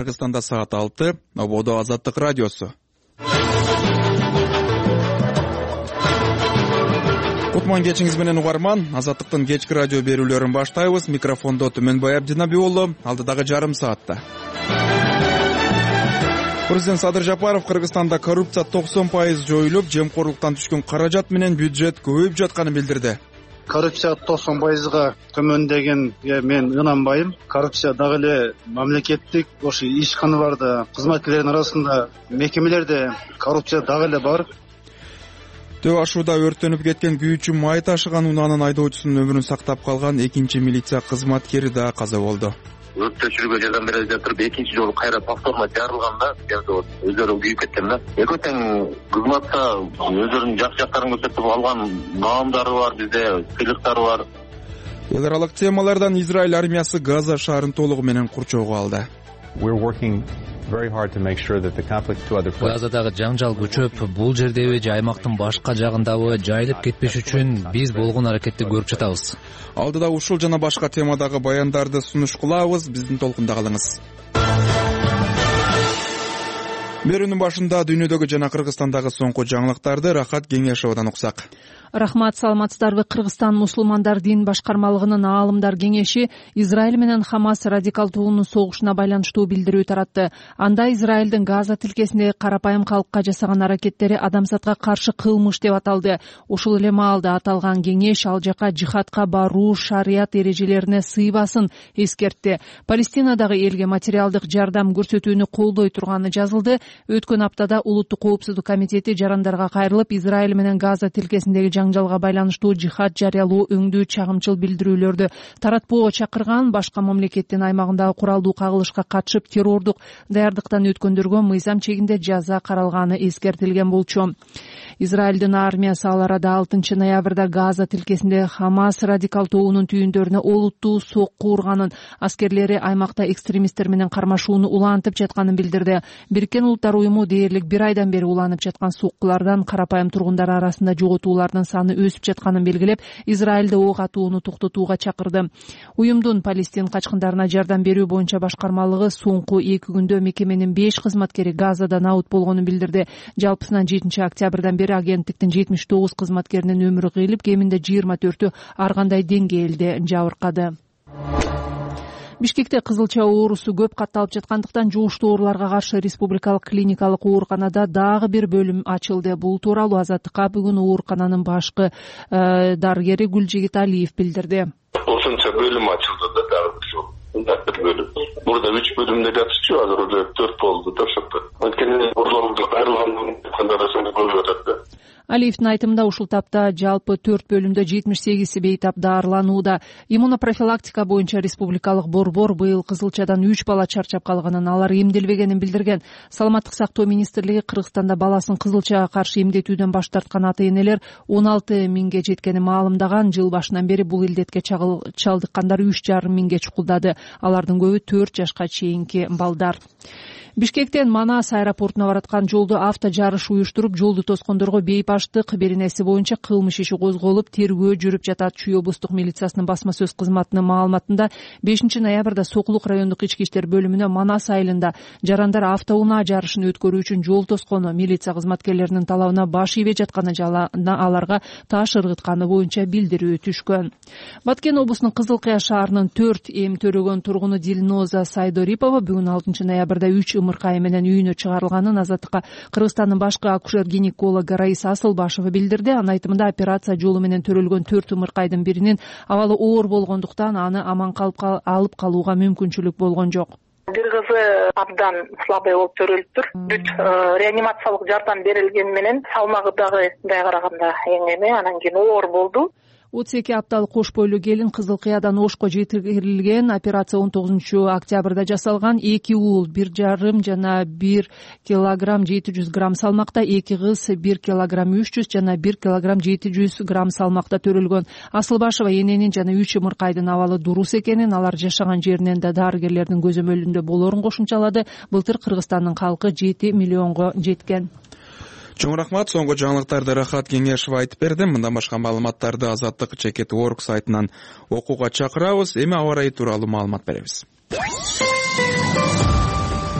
Кыргызстанда саат 6, Ободо Азаттык радиосу. Кутман кечиңиз менен угарман, Азаттыктын кечки радио берүүлөрүн баштайбыз. Микрофондо Түмөнбай Абдинабиулу, алдыдагы жарым саатта. Президент Садыр Жапаров Кыргызстанда коррупция 90% жоюлуп, жемкорлуктан түшкөн каражат менен бюджет көбөйүп жатканын билдирди. Коррупция 90%га төмөндөгөнгө мен ынанбайм. Коррупция дагы эле мамлекеттик ошо ишканаларда, кызматкерлердин арасында, мекемелерде коррупция дагы эле бар. Төө ашууда өрттөнүп кеткен күйүүчү май ташыган унаанын айдоочусунун өмүрүн сактап калган экинчи милиция кызматкери да каза болду. Өрттөчүлүгө жардам бере жатып, экинчи жолу кайра повторно жарылганда өздөрү күйүп кеткен да. Экөө тең кызматта өздөрүнүн жакшы жактарын көрсөтүп алган маамдары бар, бизде сыйлыктары бар. Эл аралык темалардан Израиль армиясы Газа шаарын толугу менен курчоого алды. Газадагы жаңжал күчөп, бул жердеби же аймактын башка жагындабы жайылып кетпеш үчүн биз болгон аракетти көрүп жатабыз. Алдыда ушул жана башка темадагы баяндарды сунуш кылабыз. Биздин толкунда калыңыз. Берүүнүн башында дүйнөдөгү жана Кыргызстандагы соңку жаңылыктарды Рахат Кеңешовдон уксак. Рахмат, саламатсыздарбы? Кыргызстан мусулмандар дин башкармалыгынын аалымдар кеңеши Израиль менен Хамас радикал тобунун согушуна байланыштуу билдирүү таратты. Анда Израилдин Газа тилкесиндеги карапайым калкка жасаган аракеттери адамзатка каршы кылмыш деп аталды. Ушул эле маалда аталган кеңеш ал жака жихадка баруу шарият эрежелерине сыйбасын эскертти. Палестинадагы элге материалдык жардам көрсөтүүнү колдой турганы жазылды. Өткөн аптада Улуттук коопсуздук комитети жарандарга кайрылып, Израиль менен Газа тилкесиндеги жаңжалга байланыштуу жихад жарыялоо өңдүү чагымчыл билдирүүлөрдү таратпоого чакырган, башка мамлекеттин аймагындагы куралдуу кагылышка катышып террордук даярдыктан өткөндөргө мыйзам чегинде жаза каралганы эскертилген болчу. Израилдин армиясы ал арада 6 ноябрда Газа тилкесинде Хамас радикал тобунун түйүндөрүнө олуттуу сокку урганын, аскерлери аймакта экстремисттер менен кармашууну улантып жатканын билдирди. Бириккен Улуттар уюму дээрлик 1 айдан бери уланып жаткан соккулардан карапайым тургундар арасында жоготуулардын саны өсүп жатканын белгилеп, Израилде ок атууну токтотууга чакырды. Уюмдун Палестин качкындарына жардам берүү боюнча башкармалыгы соңку 2 күндө мекеменин 5 кызматкери Газада набыт болгонун билдирди. Жалпысынан 7 октябрдан бери агенттиктин 79 кызматкеринин өмүрү кыйылып, кеминде 24-ü ар кандай деңгээлде жабыркады. Бишкекте кызылча оорусу көп катталып жаткандыктан жугуштуу ооруларга каршы республикалык клиникалык ооруканада дагы бир бөлүм ачылды. Бул тууралуу Азаттыкка бүгүн оорукананын башкы дарыгери Гүлжигит Алиев билдирди. Ошончо бөлүм ачылды да, дагы бир бөлүм. Мурда 3 бөлүмдө жатчу, азыр уже 4 болду да ошондо. Анткени ооруларга кайрылган кандайдыр көбөйүп атат да. Алиевдин айтымында ушул тапта жалпы 4 бөлүмдө 78 бейтап даарыланууда. Иммунопрофилактика боюнча республикалык борбор быйыл кызылчадан 3 бала чарчап калганын, алар эмделбегенин билдирген. Саламаттык сактоо министрлиги Кыргызстанда баласын кызылчага каршы эмдетүүдөн баш тарткан ата-энелер 16 миңге жеткенин маалымдаган. Жыл башынан бери бул илдетке чалдыккандар 3,5 миңге чукулдады. Алардын көбү 4 жашка чейинки балдар. Бишкектен Манас аэропортуна бараткан жолду авто жарыш уюштуруп, жолду тоскондорго бейпаштык беренеси боюнча кылмыш иши козголуп, тергөө жүрүп жатат. Чүй облустук милициясынын басма сөз кызматынын маалыматында 5 ноябрда Сокулук райондук ички иштер бөлүмүнө Манас айылында жарандар автоунаа жарышын өткөрүү үчүн жол тоскону, милиция кызматкерлеринин талабына баш ийбей жатканы жана аларга таш ыргытканы боюнча билдирүү түшкөн. Баткен облусунун Кызыл Кыя шаарынын 4 эм төрөгөн тургуну Дилноза Сайдорипова бүгүн 6 ноябрда 3 ымыркай менен үйүнө чыгарылганын Азаттыкка Кыргызстандын башкы акушер-гинекологу Раиса Асылбашева билдирди. Анын айтымында операция жолу менен төрөлгөн 4 ымыркайдын биринин абалы оор болгондуктан аны аман алып калууга мүмкүнчүлүк болгон жок. Бир кызы абдан слабый болуп төрөлүптүр. Бүт реанимациялык жардам берилгени менен салмагы дагы мындай караганда эң анан кийин оор болду. 32 апталык кош бойлуу келин Кызыл Кыядан Ошко жеткирилген. Операция 19 октябрда жасалган. 2 уул 1,5 жана 1 килограмм 700 грамм салмакта, 2 кыз 1 килограмм 300 жана 1 килограмм 700 грамм салмакта төрөлгөн. Асылбашева эненин жана 3 ымыркайдын абалы дурус экенин, алар жашаган жеринен да дарыгерлердин көзөмөлүндө болорун кошумчалады. Былтыр Кыргызстандын калкы 7 миллионго жеткен. Чоң рахмат. Соңку жаңылыктарды Рахат Кеңешов айтып берди. Мындан башка маалыматтарды Азаттык @org сайтынан окууга чакырабыз. Эми аба ырайы тууралуу маалымат беребиз.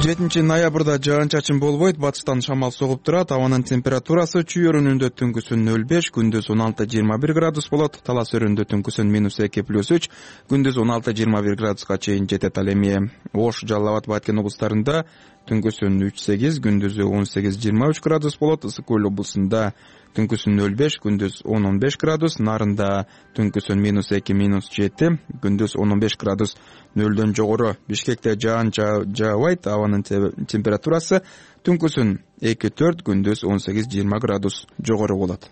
7-ноябрда жаан-чачын болбойт, батыштан шамал согуп турат. Абанын температурасы чүй өрүнүндө түнкүсүн 0,5, күндүз 16-21 градус болот. Талас өрүнүндө түнкүсүн -2+3, күндүз 16-21 градуска чейин жетет. Ал эми Ош, Жалал Абад, Баткен облустарында түнкүсүн 3-8, күндүзү 18-23 градус болот. Ысык көл облусунда түнкүсүн 0,5, күндүз 10-15 градус, Нарында түнкүсүн -2-7, күндүз 15 градус, 0дөн жогору. Бишкекте жаан жаабайт, абанын температурасы түнкүсүн 2-4, күндүз 18-20 градус жогору болот.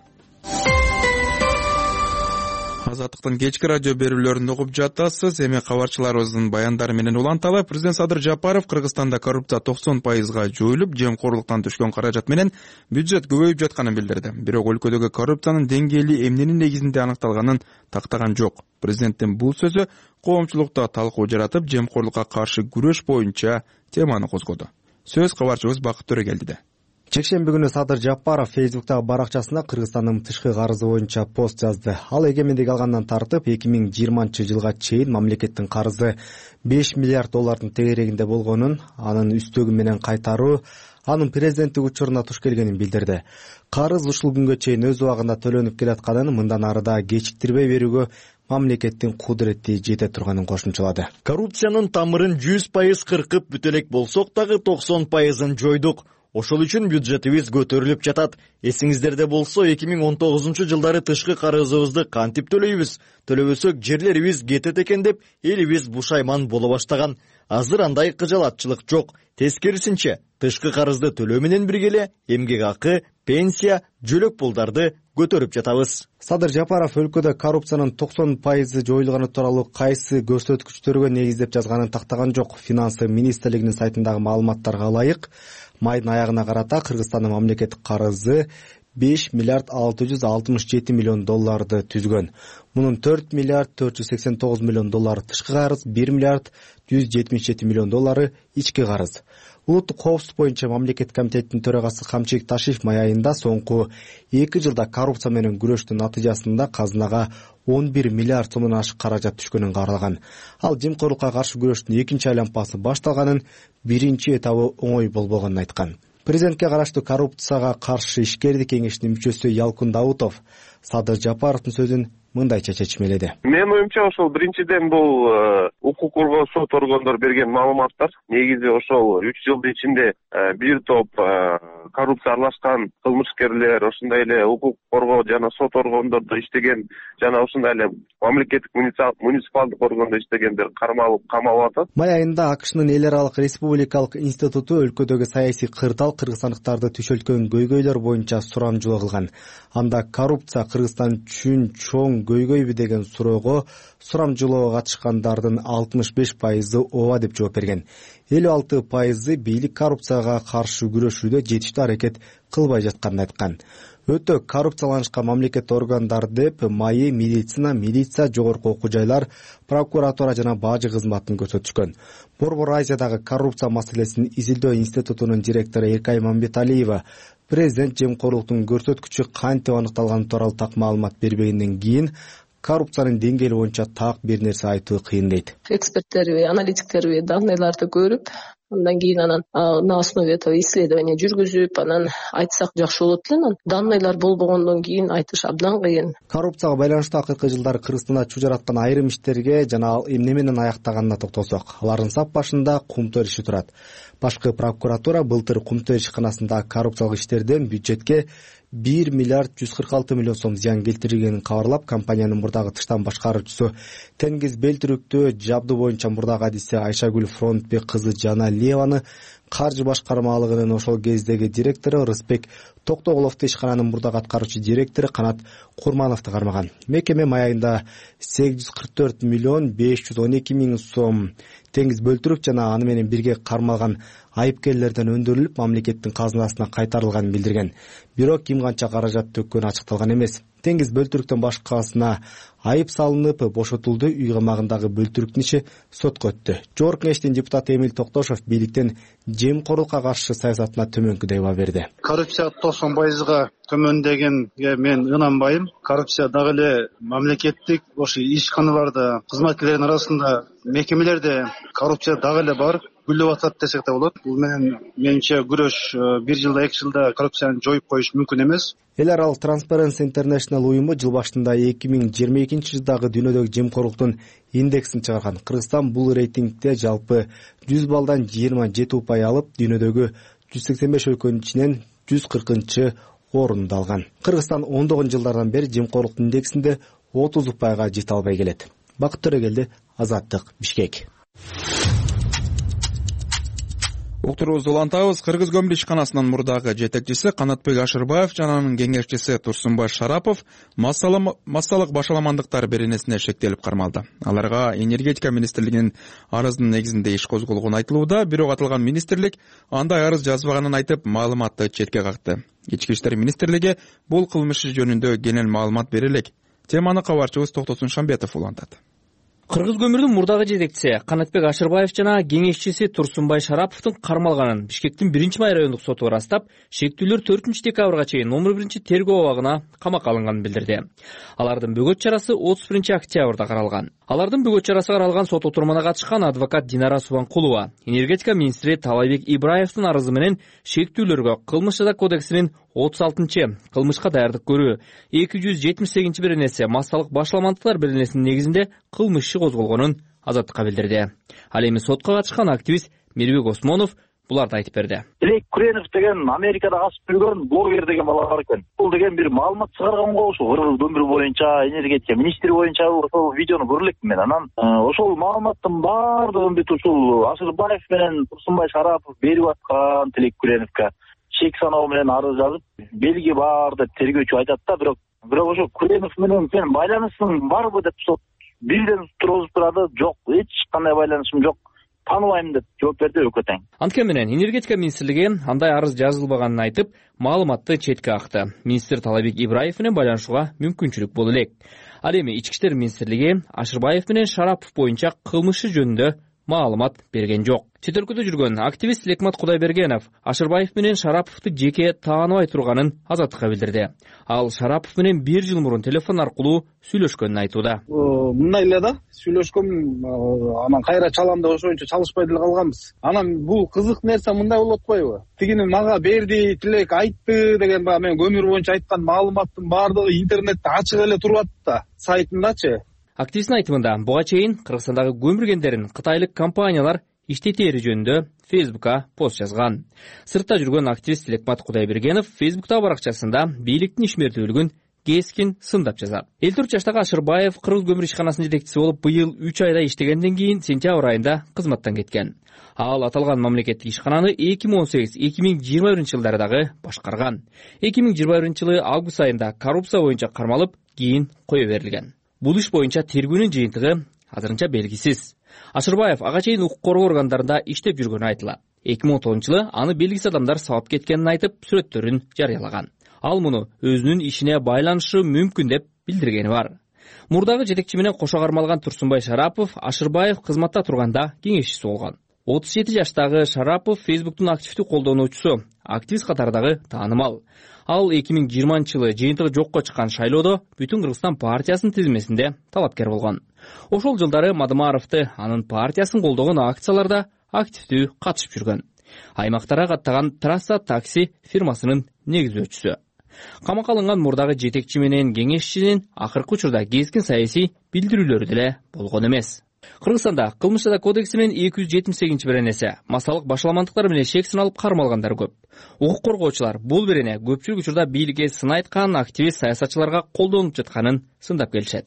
Азаттыктын кечки радио берүүлөрүн угуп жатасыз. Эми кабарчыларыбыздын баяндары менен уланталы. Президент Садыр Жапаров Кыргызстанда коррупция 90%га жоюлуп, жемкорлуктан түшкөн каражат менен бюджет көбөйүп жатканын билдирди. Бирок өлкөдөгү коррупциянын деңгээли эмненин негизинде аныкталганын тактаган жок. Президенттин бул сөзү коомчулукта талкуу жаратып, жемкорлукка каршы күрөш боюнча теманы козгоду. Сөз кабарчыбыз Бакыт Төрөгелдиде. Жекшемби күнү Садыр Жапаров Фейсбуктагы баракчасына Кыргызстандын тышкы карызы боюнча пост жазды. Ал эгемендик алгандан тартып 2020 жылга чейин мамлекеттин карызы 5 миллиард доллардын тегерегинде болгонун, анын үстөгү менен кайтаруу анын президенттик учуруна туш келгенин билдирди. Карыз ушул күнгө чейин өз убагында төлөнүп келатканын, мындан ары да кечиктирбей берүүгө мамлекеттин кудурети жете турганын кошумчалады. Коррупциянын тамырын 100% кыркып бүтө элек болсок дагы 90%ын жойдук. Ошол үчүн бюджетибиз көтөрүлүп жатат. Эсиңиздерде болсо 2019 жылдары тышкы карызыбызды кантип төлөйбүз? Төлөбөсөк жерлерибиз кетет экен деп элибиз бушайман боло баштаган. Азыр андай кыжалатчылык жок. Тескерисинче, тышкы карызды төлөө менен бирге эле эмгек акы, пенсия, жөлөк пулдарды көтөрүп жатабыз. Садыр Жапаров өлкөдө коррупциянын 90% жоюлганы тууралуу кайсы көрсөткүчтөргө негиздеп жазганын тактаган жок. Финансы министрлигинин сайтындагы маалыматтарга ылайык, майдын аягына карата Кыргызстандын мамлекеттик карызы 5 миллиард 667 миллион долларды түзгөн. Мунун 4 миллиард 489 миллион доллары тышкы карыз, 1 миллиард 177 миллион доллары ички карыз. Улуттук коопсуздук боюнча мамлекеттик комитеттин төрагасы Камчылык Ташиев май айында соңку 2 жылда коррупция менен күрөштүн натыйжасында казынага 11 миллиард сомдон ашык каражат түшкөнүн кабарлаган. Ал жемкорлукка каршы күрөштүн экинчи айланпасы башталганын, биринчи этабы оңой болбогонун айткан. Президентке караштуу коррупцияга каршы ишкердик кеңешинин мүчөсү Ялкын Даутов Садыр Жапаровдун сөзүн мындайча чечмеледи. Менин оюмча ошол биринчиден бул укук коргоо сот органдары берген маалыматтар. Негизи ошол 3 жылдын ичинде бир топ коррупция аралашкан кылмышкерлер, ошондой эле укук коргоо жана сот органдордо иштеген жана ошондой эле мамлекеттик муниципалдык органдо иштегендер кармалып камалып атат. Май айында АКШнын эл аралык республикалык институту өлкөдөгү саясий кырдаал кыргызстандыктарды түшөлткөн көйгөйлөр боюнча сурамжылоо кылган. Анда коррупция Кыргызстан үчүн чоң көйгөйбү деген суроого сурамжылоого катышкандардын 65% ооба деп жооп берген. 56% бийлик коррупцияга каршы күрөшүүдө жетиштүү аракет кылбай жатканын айткан. Өтө коррупцияланышкан мамлекет органдар деп майы милиция, жогорку окуу жайлар, прокуратура жана бажы кызматын көрсөтүшкөн. Борбор Азиядагы коррупция маселесин изилдөө институтунун директору Эркай Мамбеталиева президент жемкорлуктун көрсөткүчү кантип аныкталганы тууралуу так маалымат бербегенден кийин коррупциянын деңгээли боюнча так бир нерсе айтуу кыйын дейт. Эксперттерби, аналитиктерби данныйларды көрүп, андан кийин анан на основе этого исследования жүргүзүп, анан айтсак жакшы болот эле. Данныйлар болбогондон кийин айтыш абдан кыйын. Коррупцияга байланыштуу акыркы жылдары Кыргызстанда чуу жараткан айрым иштерге жана ал эмне менен аяктаганына токтолсок, алардын сап башында Кумтөр иши турат. Башкы прокуратура былтыр Кумтөр ишканасындагы коррупциялык иштерден бюджетке 1 миллиард 146 миллион сом зыян келтиргенин кабарлап, компаниянын мурдагы тыштан башкаруучусу Тенгиз Белтүрүктү жабдуу боюнча мурдагы адиси Айшагүл Фронтбек кызы Жана Леваны, каржы башкармалыгынын ошол кездеги директору Рыспек Токтоголовду, ишкананын мурдагы аткаруучу директору Канат Курмановду кармаган. Мекеме май айында 844 миллион 512 миң сом Теңиз Бөлтүрүк жана аны менен бирге кармалган айыпкерлерден өндүрүлүп, мамлекеттин казынасына кайтарылганын билдирген. Бирок ким канча каражат төккөнү ачыкталган эмес. Теңиз Бөлтүрүктөн башкасына айып салынып, бошотулду. Үй камагындагы Бөлтүрүктүн иши сотко өттү. Жогорку кеңештин депутаты Эмил Токтошов бийликтин жемкорлукка каршы саясатына төмөнкүдөй баа берди. Коррупция 90%га төмөндөгөнгө мен ынанбайм. Коррупция дагы эле мамлекеттик ошо ишканаларда, кызматкерлердин арасында, мекемелерде коррупция дагы эле бар. гүлдөп атат десек да болот. Бул менен менимче күрөш 1 жылда 2 жылда коррупцияны жоюп коюш мүмкүн эмес. Эл аралык Transparency International уюму жыл башында 2022 жылдагы дүйнөдөгү жемкорлуктун индексин чыгарган. Кыргызстан бул рейтингде жалпы 100 баллдан 27 упай алып, дүйнөдөгү 185 өлкөнүн ичинен 140 орунду алган. Кыргызстан ондогон жылдардан бери жемкорлук индексинде 30 упайга жете албай келет. Бакыт Төрөгелди, Азаттык, Бишкек. Уктуруубузду улантабыз. Кыргыз көмүр ишканасынын мурдагы жетекчиси Канатбек Ашырбаев жана анын кеңешчиси Турсунбай Шарапов массалык башаламандыктар беренесине шектелип кармалды. Аларга энергетика министрлигинин арызынын негизинде иш козголгону айтылууда, бирок аталган министрлик андай арыз жазбаганын айтып, маалыматты четке какты. Ички иштер министрлиги бул кылмыш жөнүндө кенен маалымат бере элек. Теманы кабарчыбыз Токтосун Шамбетов улантат. Кыргыз көмүрдүн мурдагы жетекчиси Канатбек Ашырбаев жана кеңешчиси Турсунбай Шараповдун кармалганын Бишкектин 1-май райондук соту ырастап, шектүүлөр 4-декабрга чейин номер 1-тергөө абагына камакка алынганын билдирди. Алардын бөгөт чарасы 31-октябрда каралган. Алардын бөгөт чарасы каралган сот отурумуна катышкан адвокат Динара Субанкулова энергетика министри Талайбек Ибраевдин арызы менен шектүүлөргө Кылмыш жаза кодексинин 36 кылмышка даярдык көрүү 278 беренеси массалык башаламандыктар беренесинин негизинде кылмыш иши козголгонун Азаттыкка билдирди. Ал эми сотко катышкан активист Мирбек Осмонов буларды айтып берди. Илек Куренов деген Америкада касып жүргөн блогер деген бала бар экен. Бул деген бир маалымат чыгарганга ошо Кыргыз көмүр боюнча, энергетика министри боюнча ошол видеону көрүп элекмин мен. Анан ошол маалыматтын баардыгын бүт ушул Ашырбаев менен Турсунбай Шарапов берип аткан Илек Куреновго чек саноо менен арыз жазып, белги бар деп тергөөчү айтат да, бирок ошо Куренов менен сен байланышың барбы деп сот бирден тургузуп турады. Жок, эч кандай байланышым жок, тааныбайм деп жооп берди өкөтең. Анткени менен энергетика министрлиги андай арыз жазылбаганын айтып, маалыматты четке какты. Министр Талайбек Ибраев менен байланышууга мүмкүнчүлүк боло элек. Ал эми Ички иштер министрлиги Ашырбаев менен Шарапов боюнча кылмыш жөнүндө маалымат берген жок. Чет өлкөдө жүргөн активист Лекмат Кудайбергенов Ашырбаев менен Шараповду жеке тааныбай турганын Азаттыкка билдирди. Ал Шарапов менен 1 жыл мурун телефон аркылуу сүйлөшкөнүн айтууда. Мындай эле да, сүйлөшкөм, анан кайра чалам деп ошончо чалышпай деле калганбыз. Анан бул кызык нерсе мындай болуп атпайбы? Тигини мага берди, тилек айтты деген баягы мен көмүр боюнча айткан маалыматтын баардыгы интернетте ачык эле туруп атты, сайтындачы. Активисттин айтымында, буга чейин Кыргызстандагы көмүр кендерин кытайлык компаниялар иштетери жөнүндө Фейсбукка пост жазган. Сыртта жүргөн активист Лекмат Кудайбергенов Фейсбуктагы баракчасында бийликтин ишмердүүлүгүн кескин сындап жазат. 54 жаштагы Ашырбаев Кыргыз көмүр ишканасынын жетекчиси болуп быйыл 3 айда иштегенден кийин сентябрь айында кызматтан кеткен. Ал аталган мамлекеттик ишкананы 2018-2021 жылдары дагы башкарган. 2021 жылы август айында коррупция боюнча кармалып, кийин кое берилген. Бул иш боюнча тергөөнүн жыйынтыгы азырынча белгисиз. Ашырбаев ага чейин укук коргоо органдарында иштеп жүргөнү айтылат. 2010 жылы аны белгисиз адамдар сабап кеткенин айтып, сүрөттөрүн жарыялаган. Ал муну өзүнүн ишине байланышы мүмкүн деп билдиргени бар. Мурдагы жетекчи менен кошо кармалган Турсунбай Шарапов Ашырбаев кызматта турганда кеңешчиси болгон. 37 жаштагы Шарапов Фейсбуктун активдүү колдонуучусу, активист катарындагы таанымал. Ал 2020 жылы жыйынтыгы жокко чыккан шайлоодо Бүтүн Кыргызстан партиясынын тизмесинде талапкер болгон. Ошол жылдары Мадымаровду анын партиясын колдогон акцияларда активдүү катышып жүргөн. Аймактарга каттаган Трасса такси фирмасынын негиздөөчүсү. Камакка алынган мурдагы жетекчи менен кеңешчинин акыркы учурда кескин саясий билдирүүлөрү деле болгон эмес. Кыргызстанда Кылмыш жаза кодексинин 278 беренеси массалык башаламандыктар менен шек сыналып кармалгандар көп. Укук коргоочулар бул берене көпчүлүк учурда бийликке сын айткан активист саясатчыларга колдонуп жатканын сындап келишет.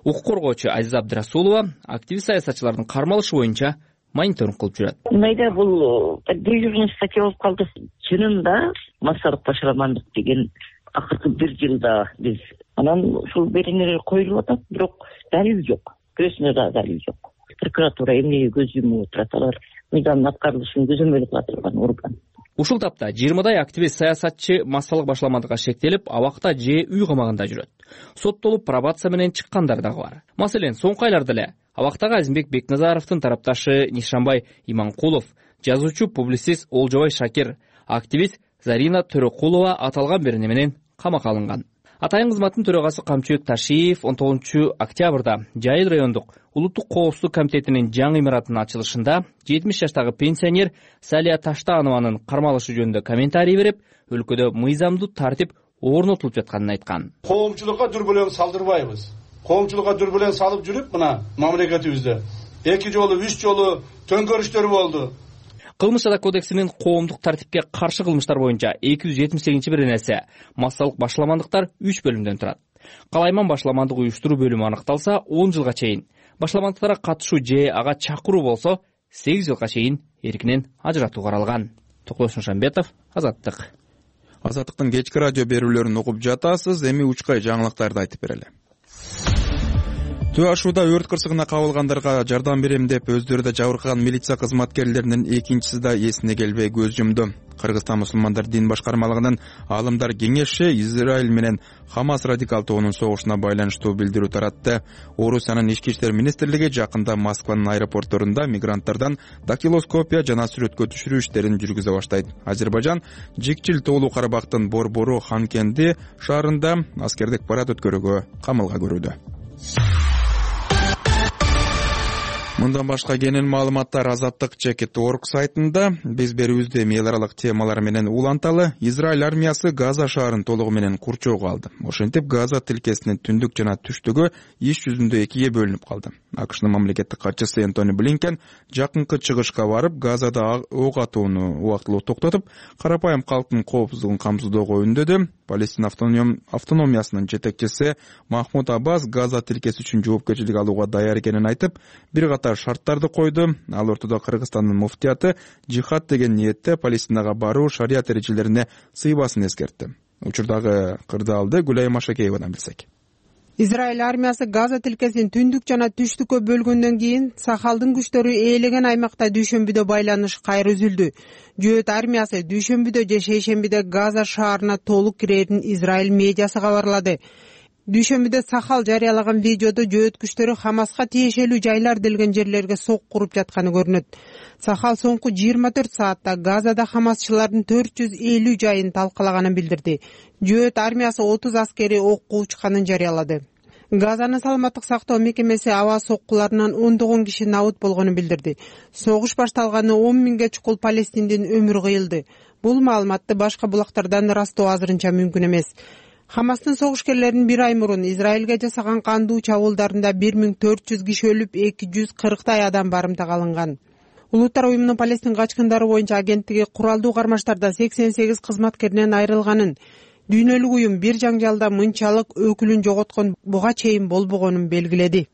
Укук коргоочу Азиза Абдырасулова активист саясатчылардын кармалышы боюнча мониторинг кылып жүрөт. Мындай бул дежурный статья болуп калды. Чынында массалык башаламандык деген акыркы 1 жылда биз анан ушул беренелер коюлуп атат, бирок далил жок. Күрөшүнө да далил жок. Прокуратура эмнеге көз жумуп отурат, алар мыйзамдын аткарылышын көзөмөл кыла турган орган. Ушул тапта 20дай активист саясатчы массалык башаламандыкка шектелип, абакта же үй камагында жүрөт. Соттолуп пробация менен чыккандар дагы бар. Маселен, соңку айларда эле абактагы Азимбек Бекназаровдун тарапташы Нишанбай Иманкулов, жазуучу публицист Олжобай Шакир, активист Зарина Төрөкулова аталган берене менен камакка алынган. Атайын кызматтын төрагасы Камчыбек Ташиев 19 октябрда Жайыл райондук улуттук коопсуздук комитетинин жаңы имаратынын ачылышында 70 жаштагы пенсионер Салия Таштаанованын кармалышы жөнүндө комментарий берип, өлкөдө мыйзамдуу тартип орнотулуп жатканын айткан. Коомчулукка дүрбөлөң салдырбайбыз. Коомчулукка дүрбөлөң салып жүрүп, мына мамлекетибизде 2 жолу, 3 жолу төңкөрүштөр болду. Кылмыш жада кодексинин коомдук тартипке каршы кылмыштар боюнча 278-беренеси массалык башламандыктар 3 бөлүмдөн турат. Калайман башламандык уюштуруу бөлүмү аныкталса 10 жылга чейин, башламандыктарга катышуу же ага чакыруу болсо 8 жылга чейин эркинен ажыратуу каралган. Токтош Нушанбетов, Азаттык. Азаттыктын кечки радио берүүлөрүн угуп жатасыз. Эми учкай жаңылыктарды айтып берели. Төө ашууда өрт кырсыгына кабылгандарга жардам берем деп өздөрү да жабыркаган милиция кызматкерлеринин экинчиси да эсине келбей көз жумду. Кыргызстан мусулмандар дин башкармалыгынын аалымдар кеңеши Израиль менен Хамас радикал тобунун согушуна байланыштуу билдирүү таратты. Орусиянын ички иштер министрлиги жакында Москванын аэропортторунда мигранттардан дактилоскопия жана сүрөткө түшүрүү иштерин жүргүзө баштайт. Азербайжан Жикчил тоолуу Карабактын Борбору Ханкенди шаарында аскердик парад өткөрүүгө камылга көрүүдө. Мындан башка кенен маалыматтар Азаттык.org сайтында. Биз берүүбүздө эми эл аралык темалар менен уланталы. Израиль армиясы Газа шаарын толугу менен курчоого алды. Ошентип Газа тилкесинин түндүк жана түштүгү иш жүзүндө экиге бөлүнүп калды. АКШнын мамлекеттик катчысы Энтони Блинкен жакынкы чыгышка барып, Газада ок атууну убактылуу токтотуп, карапайым калктын коопсуздугун камсыздоого үндөдү. Палестин автономиясынын жетекчиси Махмуд Аббас Газа тилкеси үчүн жоопкерчилик алууга даяр экенин айтып, бир катар шарттарды койду. Ал ортодо Кыргызстандын муфтияты жихад деген ниетте Палестинага баруу шарият эрежелерине сыйбасын эскертти. Учурдагы кырдаалды Гүлай Машакеевадан билсек. Израиль армиясы Газа тилкесин түндүк жана түштүккө бөлгөндөн кийин Сахалдын күчтөрү ээлеген аймакта дүйшөмбүдө байланыш кайра үзүлдү. Жөөт армиясы дүйшөмбүдө же шейшембиде Газа шаарына толук кирерин Израиль медиасы кабарлады. Дүйшөмбүдө Сахал жарыялаган видеодо жөөт күчтөрү Хамаска тиешелүү жайлар делген жерлерге сок куруп жатканы көрүнөт. Сахал соңку 24 саатта Газада Хамасчылардын 450 жайын талкалаганын билдирди. Жөөт армиясы 30 аскери окко учканын жарыялады. Газанын саламаттык сактоо мекемеси аба соккуларынан 10 киши набыт болгонун билдирди. Согуш башталганы 10 миңге чукул палестиндин өмүрү кыйылды. Бул маалыматты башка булактардан ырастоо азырынча мүмкүн эмес. Хамастын согушкерлерин бир ай мурун Израилге жасаган кандуу чабуулдарында 1400 киши өлүп, 240 адам барымтага алынган. Улуттар уюмунун Палестин качкындары боюнча агенттиги куралдуу кармаштарда 88 кызматкеринен айрылганын, дүйнөлүк уюм бир жаңжалда мынчалык өкүлүн жоготкон буга чейин болбогонун белгиледи.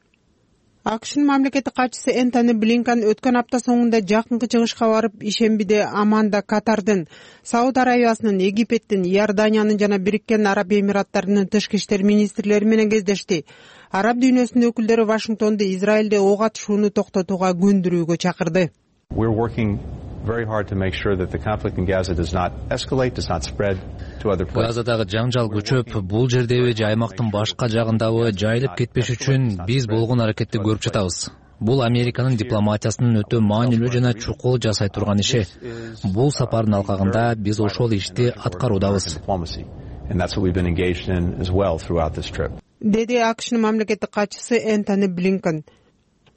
АКШнын мамлекеттик катчысы Энтони Блинкен өткөн апта соңунда жакынкы чыгышка барып, ишембиде Аманда Катардын, Сауд Арабиясынын, Египеттин, Иорданиянын жана Бириккен Араб Эмираттарынын тышкы иштер министрлери менен кездешти. Араб дүйнөсүнүн өкүлдөрү Вашингтонду Израилде ок атышууну токтотууга көндүрүүгө чакырды. Газадагы жаңжал күчөп, бул жердеби же аймактын башка жагындабы жайылып кетпеш үчүн биз болгон аракетти көрүп жатабыз. Бул Американын дипломатиясынын өтө маанилүү жана чукул жасай турган иши. Бул сапардын алкагында биз ошол ишти аткаруудабыз. Деди АКШнын мамлекеттик катчысы Энтони Блинкен.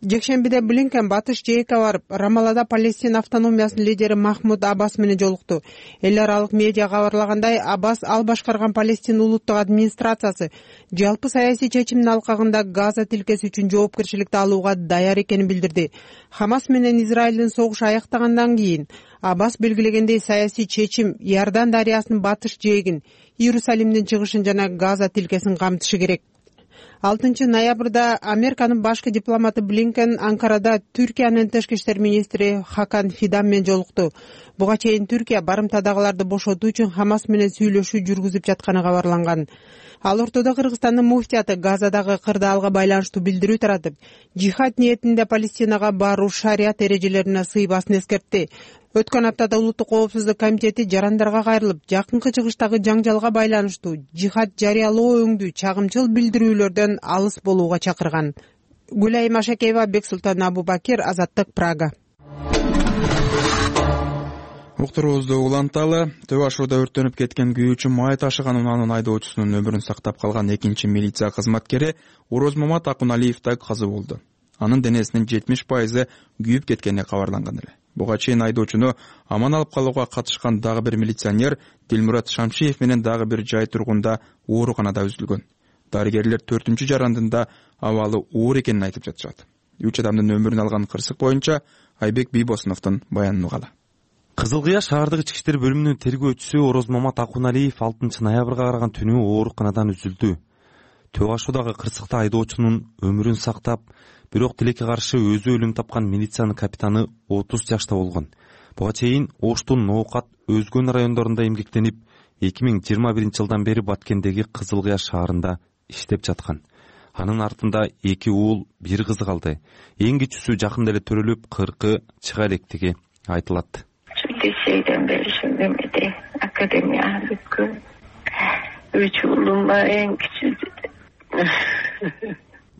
Жекшембиде Блинкен батыш жээкке барып, Рамалада Палестин автономиясынын лидери Махмуд Аббас менен жолукту. Эл аралык медиа кабарлагандай, Аббас ал башкарган Палестин улуттук администрациясы жалпы саясий чечимдин алкагында Газа тилкеси үчүн жоопкерчиликти алууга даяр экенин билдирди. Хамас менен Израилдин согушу аяктагандан кийин Аббас белгилегендей саясий чечим Иордан дарыясынын батыш жээгин, Иерусалимдин чыгышын жана Газа тилкесин камтышы керек. 6 ноябрда Американын башкы дипломаты Блинкен Анкарада Түркиянын тышкы иштер министри Хакан Фидан менен жолукту. Буга чейин Түркия барымтадагыларды бошотуу үчүн Хамас менен сүйлөшүү жүргүзүп жатканы кабарланган. Ал ортодо Кыргызстандын муфтияты Газадагы кырдаалга байланыштуу билдирүү таратып, жихад ниетинде Палестинага баруу шарият эрежелерине сыйбасын эскертти. Өткөн аптада Улуттук коопсуздук комитети жарандарга кайрылып, жакынкы чыгыштагы жаңжалга байланыштуу жихад жарыялоо өңдүү чагымчыл билдирүүлөрдөн алыс болууга чакырган. Гүлай Машакеева, Бексултан Абубакир, Азаттык, Прага. уктуруубузду уланталы. Төө Ашууда өрттөнүп кеткен күйүүчү май ташыган унаанын айдоочусунун өмүрүн сактап калган экинчи милиция кызматкери Орозмамат Акуналиевде каза болду. Анын денесинин 70% күйүп кеткени кабарланган эле. Буга чейин айдоочуну аман алып калууга катышкан дагы бир милиционер Дилмурат Шамшиев менен дагы бир жай тургунда ооруканада үзүлгөн. Дарыгерлер 4-үнчү жарандында абалы оор экенин айтып жатышат. 3 адамдын өмүрүн алган кырсык боюнча Айбек Бийбосуновдун баянын угалы. Кызыл Кыя шаардык ички иштер бөлүмүнүн тергөөчүсү Орозмамат Акуналиев 6 ноябрга караган түнү ооруканадан үзүлдү. Төө Ашуудагы кырсыкта айдоочунун өмүрүн сактап, бирок тилекке каршы өзү өлүм тапкан милициянын капитаны 30 жашта болгон. Буга чейин Оштун, Ноокат, Өзгөн райондорунда эмгектенип, 2021-жылдан бери Баткендеги Кызыл Кыя шаарында иштеп жаткан. Анын артында 2 уул, 1 кызы калды. Эң кичүүсү жакында эле төрөлүп, 40 чыга электиги айтылат. Şeyden beri şimdi de akademiya бүткөн. 3 уулум бар, эң кичүүсү.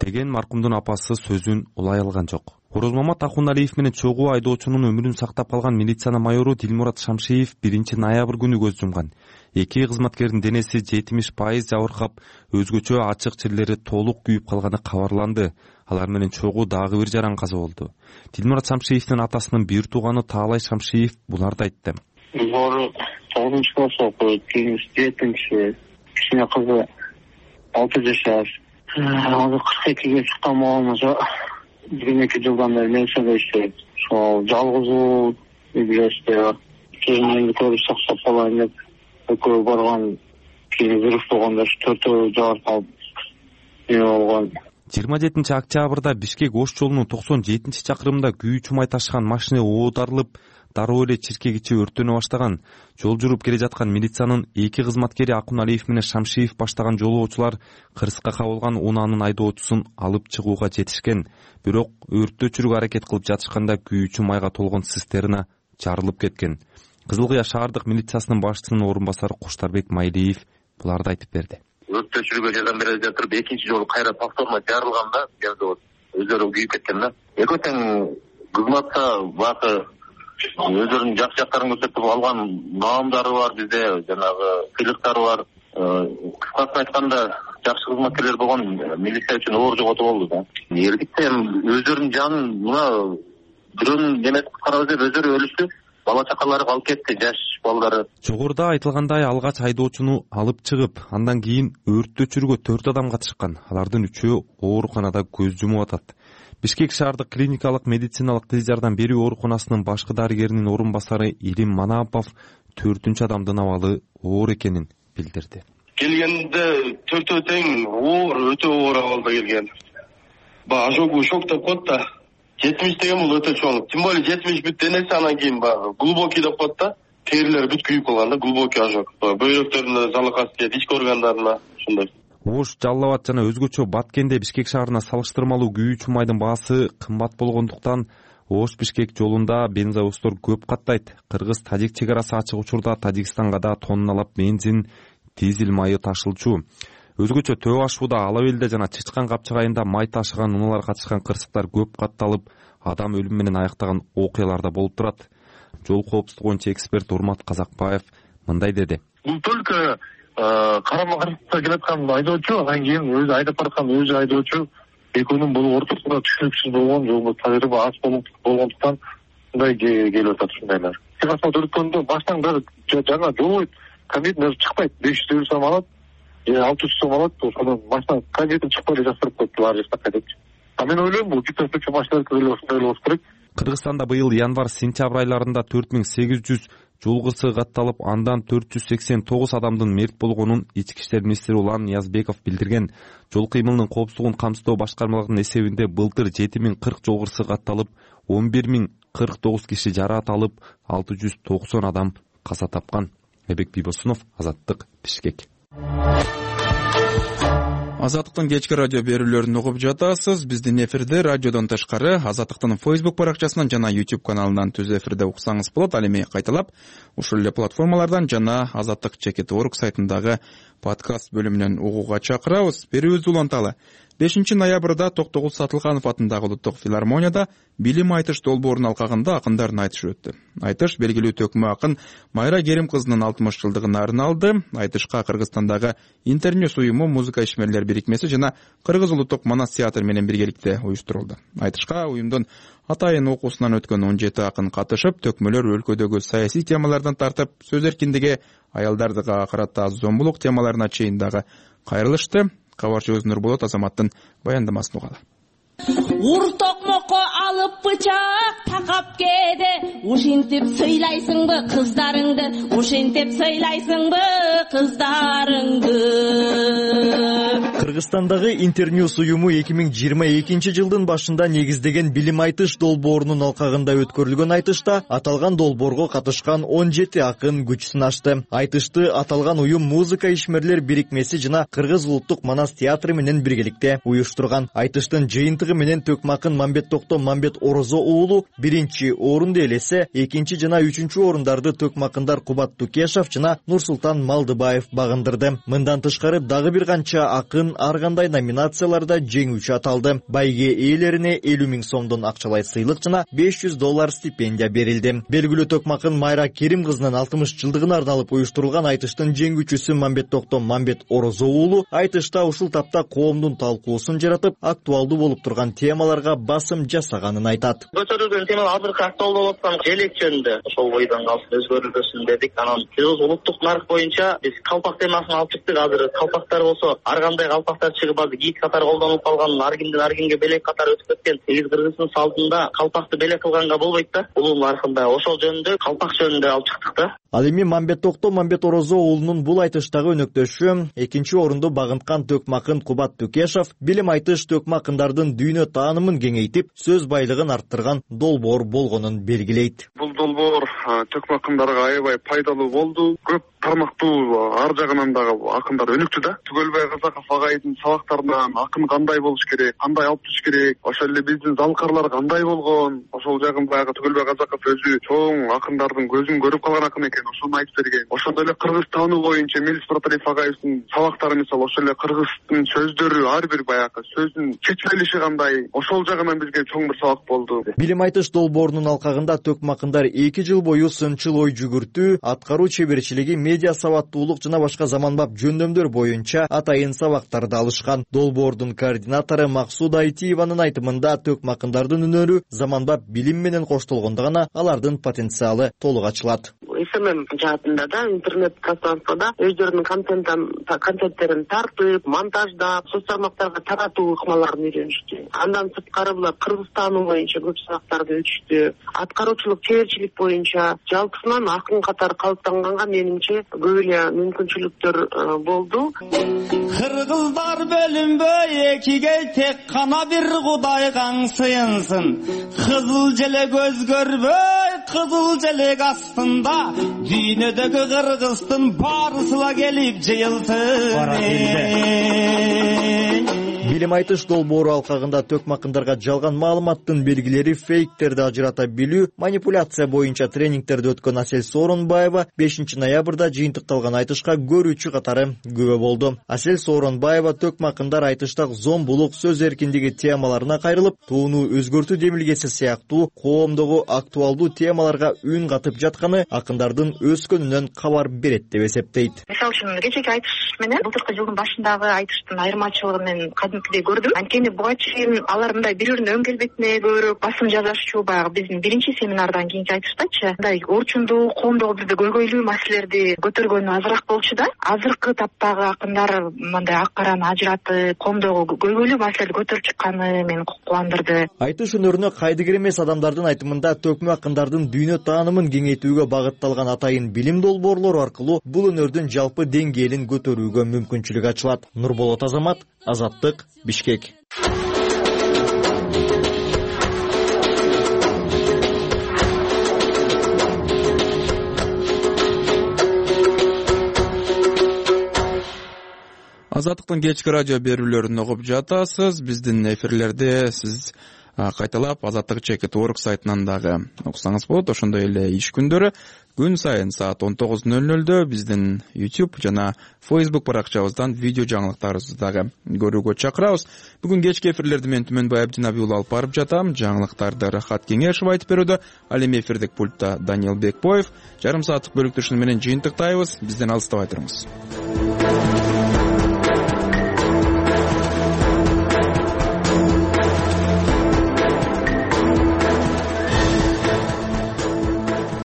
Деген маркумдун апасы сөзүн улай алган жок. Орозмамат Акуналиев менен чогуу айдоочунун өмүрүн сактап калган милициянын майору Дилмурат Шамшиев 1 ноябрь күнү көз жумган. Эки кызматкердин денеси 70% жабыркап, өзгөчө ачык жерлери толук күйүп калганы кабарланды. Алар менен чогуу дагы бир жаран каза болду. Дилмурат Шамшиевдин атасынын бир тууганы Таалай Шамшиев буларды айтты. Бору 9-нчы класс окуйт, кийин 7-нчи, кичине кызы 6 жаш. Азыр 42-ге чыккан болмосо, 1-2 жылдан бери милицияда иштейт. Ошол жалгыз билесиз, кийин көрүп сактап калайын деп экөө барган, кийин взрыв болгондо 4 жабырып калып болгон. 27 октябрда Бишкек-Ош жолунун 97-чакырымында күйүүчү май ташыган машина оодарылып, дароо эле чиркек ичи өрттөнө баштаган. Жол жүрүп келе жаткан милициянын 2 кызматкери Акуналиев менен Шамшиев баштаган жолоочулар кырсыкка кабылган унаанын айдоочусун алып чыгууга жетишкен. Бирок өрттү өчүрүүгө аракет кылып жатышканда күйүүчү майга толгон цистерна жарылып кеткен. Кызыл Кыя шаардык милициясынын башчысынын орун басары Куштарбек Майлиев буларды айтып берди. Өрттү өчүрүүгө жардам бере жатып, экинчи жолу кайра повторно жарылганда, өздөрү күйүп кеткен да. Экөө тең кызматта бакы өздөрүнүн жакшы жактарын көрсөтүп алган маамдары бар, бизде жанагы сыйлыктары бар. Кыскасы айтканда, жакшы кызматкерлер болгон милиция үчүн оор жоготуу болду да. Эркектер өздөрүнүн жанын мына бирөөнүн немеси куткарабыз деп өздөрү өлүштү. Бала чакалары калып кетти, жаш балдары. Жогоруда айтылгандай алгач айдоочуну алып чыгып, андан кийин өрттү өчүрүүгө 4 адам катышкан. Алардын 3-өө ооруканада көз жумуп атат. Бишкек шаардык клиникалык медициналык тез жардам берүү ооруканасынын башкы дарыгеринин орун басары Илим Манапов 4-үнчү адамдын абалы оор экенин билдирди. Келгенде 4 тең оор, өтө оор абалда келген. Ожогу шок деп коет да. 70 деген бул өтө чоң. Тем более 70 бүт денеси анан кийин баягы глубокий деп коет да. Терилери бүт күйүп калган да, глубокий ожог. Бөйрөктөрүнө залыкасы тиет, ички органдарына ушундай. Ош, Жалал Абад жана өзгөчө Баткенде Бишкек шаарына салыштырмалуу күйүүчү майдын баасы кымбат болгондуктан Ош Бишкек жолунда бензовоздор көп каттайт. Кыргыз-Тажик чек арасы ачык учурда Тажикстанга да тонналап бензин, дизель майы ташылчу. Өзгөчө Төө Ашууда, Алабелде жана Чычкан Капчыгайында май ташыган унаалар катышкан кырсыктар көп катталып, адам өлүмү менен аяктаган окуялар да болуп турат. Жол коопсуздугу боюнча эксперт Урмат Казакбаев мындай деди. Бул только карама-каршылыкта келаткан айдоочу, анан кийин өзү айдап бараткан өзү айдоочу экөөнүн бул ортосунда түшүнүксүз болгон, жолдо тажрыйба аз болгондуктан мындай келип атат ушундайлар. Асфальт өрткөндө баштан дагы жаңа жолбойт, комбин даже чыкпайт, 500 сом алат, 600 сом алат, ошондон машина комбинин чыкпай эле жактырып коюпту ар жакка депчи. Мен ойлойм, бул китаптагы машиналар деле ошондой болуш керек. Кыргызстанда быйыл январь-сентябрь айларында 4800 жол кырсыгы катталып, андан 489 адамдын мерт болгонун ички иштер министри Улан Ниязбеков билдирген. Жол кыймылынын коопсуздугун камсыздоо башкармалыгынын эсебинде былтыр 7040 жол кырсыгы катталып, 11049 киши жараат алып, 690 адам каза тапкан. Айбек Бийбосунов, Азаттык, Бишкек. Азаттыктын кечки радио берүүлөрүн угуп жатасыз. Биздин эфирде радиодон тышкары Азаттыктын Facebook баракчасынан жана YouTube каналынан түз эфирде уксаңыз болот. Ал эми кайталап ушул эле платформалардан жана azattyk.org сайтындагы подкаст бөлүмүнөн угууга чакырабыз. Берүүбүздү уланталы. 5 ноябрда Токтогул Сатылганов атындагы Улуттук филармонияда билим айтыш долбоорунун алкагында акындардын айтышы өттү. Айтыш белгилүү төкмө акын Майра Керим кызынын 60 жылдыгына арналды. Айтышка Кыргызстандагы Интерньюс уюму, музыка ишмерлер бирикмеси жана Кыргыз улуттук Манас театр менен биргеликте уюштурулду. Айтышка уюмдун атайын окуусунан өткөн 17 акын катышып, төкмөлөр өлкөдөгү саясий темалардан тартып, сөз эркиндиги, аялдардыга карата зомбулук темаларына чейин дагы кайрылышты. Кабарчыбыз Нурболот Азаматтын баяндамасын угалы. Ур токмокко алып бычак такап кээде, ушинтип сыйлайсыңбы кыздарыңды, ушинтип сыйлайсыңбы кыздарыңды. Кыргызстандагы Интерньюс уюму 2022 жылдын башында негиздеген билим айтыш долбоорунун алкагында өткөрүлгөн айтышта аталган долбоорго катышкан 17 акын күч сынашты. Айтышты аталган уюм музыка ишмерлер бирикмеси жана Кыргыз улуттук Манас театры менен биргеликте уюштурган. Айтыштын жыйынтыгы менен төкмакын Мамбет Токто Мамбет Орозо уулу биринчи орунду ээлесе, экинчи жана үчүнчү орундарды төкмакындар Кубат Тукешов жана Нурсултан Малдыбаев багындырды. Мындан тышкары дагы бир канча акын ар кандай номинацияларда жеңүүчү аталды. Байге ээлерине 50 000 сомдон акчалай сыйлык жана $500 стипендия берилди. Белгилүү төкмакын Майра Керим кызынын 60 жылдыгына арналып уюштурулган айтыштын жеңүүчүсү Мамбет Токто Мамбет Орозо уулу айтышта ушул тапта коомдун талкуусун жаратып, актуалдуу болуп турган темаларга басым жасаганын айтат. Көтөрүлгөн тема азыркы актуалдуу болуп аткан желек жөнүндө ошол бойдон калсын өзгөрүлбөсүн дедик. Анан биз улуттук нарк боюнча биз калпак темасын алып чыктык. Азыр калпактар болсо ар кандай калпактар чыгып, азыр кийик катары колдонулуп калган, ар кимдин ар кимге белек катары өтүп кеткен. Сегиз Кыргыздын салтында калпакты белек кылганга болбойт да. Улуу наркында ошол жөнүндө калпак жөнүндө алып чыктык да. Ал эми Мамбет Токто Мамбет Орозо уулунун бул айтыштагы өнөктөшү экинчи орунду багынткан төкмакын Кубат Тукешов билим айтыш төкмакындардын дүйнө таанымын кеңейтип, сөз байлыгын арттырган долбоор болгонун белгилейт. Бул долбоор төкмакындарга аябай пайдалуу болду. Көп тармактуу ар жагынан дагы акындар өнүктү да. Түгөлбай Казаков агайдын сабактарынан акын кандай болуш керек, кандай алып туруш керек, ошол эле биздин залкарлар кандай болгон, ошол жагын баягы Түгөлбай Казаков өзү чоң акындардын көзүн көрүп калган акын экен, ошону айтып берген. Ошондой эле кыргыз таануу боюнча Мелис Проталиев агайыбыздын сабактары мисалы ошол эле кыргыздын сөздөрү, ар бир баягы сөздүн чечмелиши кандай, ошол жагынан бизге чоң бир сабак болду. Билим айтыш долбоорунун алкагында төкмакындар 2 жыл бою сынчыл ой жүгүртүү, аткаруу чеберчилиги, медиа сабаттуулук жана башка заманбап жөндөмдөр боюнча атайын сабактарды алышкан. Долбоордун координатору Максуда Айтиеванын айтымында төкмакындардын үнөрү заманбап билим менен коштолгондо гана алардын потенциалы толук ачылат. СММ жаатында да интернет пространствода өздөрүнүн контенттерин тартып, монтаждап, соц тармактарга таратуу ыкмаларын үйрөнүштү. Андан сырткары булар кыргыз таануу боюнча көп сабактарды өтүштү. Аткаруучулук, чеберчилик боюнча жалпысынан акын катары калыптанганга менимче көп эле мүмкүнчүлүктөр болду. Кыргыздар бөлүнбөй экиге, тек кана бир Кудайга сыйынсын. Кызыл желек өзгөрбөй, кызыл желек астында дүйнөдөгү кыргыздын баарысыла келип жыйылсын. Билим айтыш долбоору алкагында төкмакындарга жалган маалыматтын белгилери, фейктерди ажырата билүү, манипуляция боюнча тренингтерди өткөн Асель Сооронбаева 5 ноябрда жыйынтыкталган айтышка көрүүчү катары күбө болду. Асель Сооронбаева төкмакындар айтыштак зомбулук, сөз эркиндиги темаларына кайрылып, тууну өзгөртүү демилгеси сыяктуу коомдогу актуалдуу темаларга үн катып жатканы акындардын өскөнүнөн кабар берет деп эсептейт. Мисалы үчүн кечеги айтыш менен былтыркы жылдын башындагы айтыштын айырмачылыгын мен кадимкидей көрдүм. Анткени буга чейин алар мындай бири-биринин өң келбетине көрүп басым жасашчу, баягы биздин биринчи семинардан кийинки айтыштачы мындай орчундуу, коомдогу бирде көйгөйлүү маселелерди көтөргөнү азыраак болчу да. Азыркы таптагы акындар мындай ак караны ажыратып, коомдогу көйгөйлүү маселелерди көтөрүп чыкканы мени кубандырды. Айтыш өнөрүнө кайдыгер эмес адамдардын айтымында төкмө акындардын дүйнө таанымын кеңейтүүгө багытталган атайын билим долбоорлору аркылуу бул өнөрдүн жалпы деңгээлин көтөрүүгө мүмкүнчүлүк ачылат. Нурболот Азамат, Азаттык, Бишкек. Азаттыктын кечки радио берүүлөрүн угуп жатасыз. Биздин эфирлерде сиз кайталап azatlyk.org сайтынан дагы окусаңыз болот. Ошондой эле иш күндөрү күн сайын саат 19:00 биздин YouTube жана Facebook баракчабыздан видео жаңылыктарыбызды дагы көрүүгө чакырабыз. Бүгүн кечки эфирлерди мен Түмөнбай Абдинабий уулу алып барып жатам. Жаңылыктарды Рахат Кеңешев айтып берүүдө, ал эми эфирдик пультта Даниил Бекбоев. Жарым сааттык бөлүктүшүн менен жыйынтыктайбыз. Бизден алыстабай туруңуз.